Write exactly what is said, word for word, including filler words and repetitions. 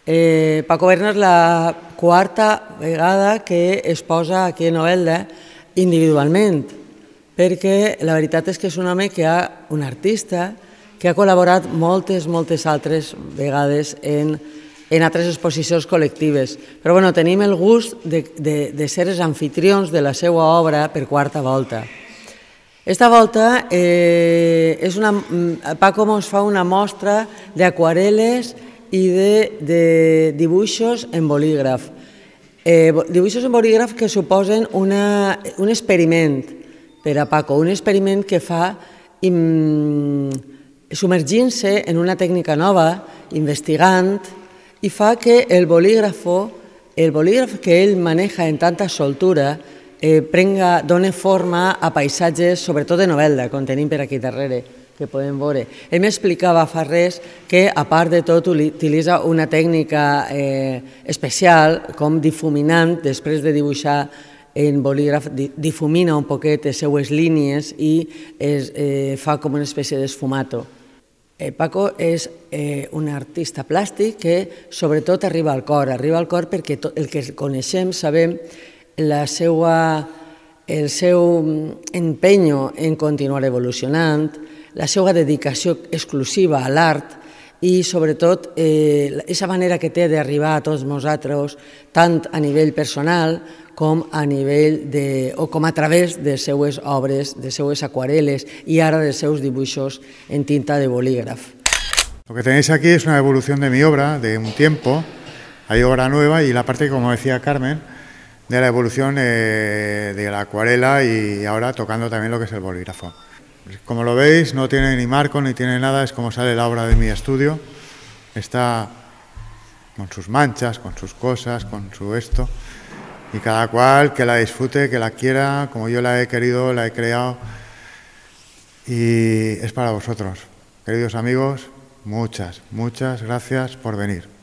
Eh, Paco Berna és la quarta vegada que es posa aquí a Novelda individualment, perquè la veritat és que és un home que ha, un artista, que ha col·laborat moltes, moltes altres vegades en, en altres exposicions col·lectives. Però bueno, tenim el gust de, de, de ser els anfitrions de la seva obra per quarta volta. Esta volta eh, és una, Paco ens fa una mostra d'aquarel·les i de, de dibuixos en bolígraf. Eh, dibuixos en bolígraf que suposen una, un experiment per a Paco, un experiment que fa im, submergint-se en una tècnica nova, investigant, i fa que el bolígraf, el bolígraf que ell maneja en tanta soltura, eh, prenga, doni forma a paisatges, sobretot de Novelda, com tenim per aquí darrere, que podem veure. Ell m'explicava fa res que, a part de tot, utilitza una tècnica eh, especial, com difuminant, després de dibuixar en bolígraf, difumina un poquet les seues línies i es, eh, fa com una espècie d'esfumato. Eh, Paco és eh, un artista plàstic que sobretot arriba al cor, arriba al cor perquè tot, el que coneixem sabem la seva, el seu empenyo en continuar evolucionant, la seva dedicació exclusiva a l'art i sobretot aquesta eh, manera que té d'arribar a tots nosaltres, tant a nivell personal com a nivell de, o com a través de les seues obres, de les seues aquarel·les i ara dels seus dibuixos en tinta de bolígraf. Lo que tenéis aquí es una evolución de mi obra, de un tiempo, hay obra nueva y la parte, como decía Carmen, de la evolución eh, de la acuarela y ahora tocando también lo que es el bolígrafo. Como lo veis, no tiene ni marco ni tiene nada, es como sale la obra de mi estudio. Está con sus manchas, con sus cosas, con su esto. Y cada cual que la disfrute, que la quiera, como yo la he querido, la he creado. Y es para vosotros. Queridos amigos, muchas, muchas gracias por venir.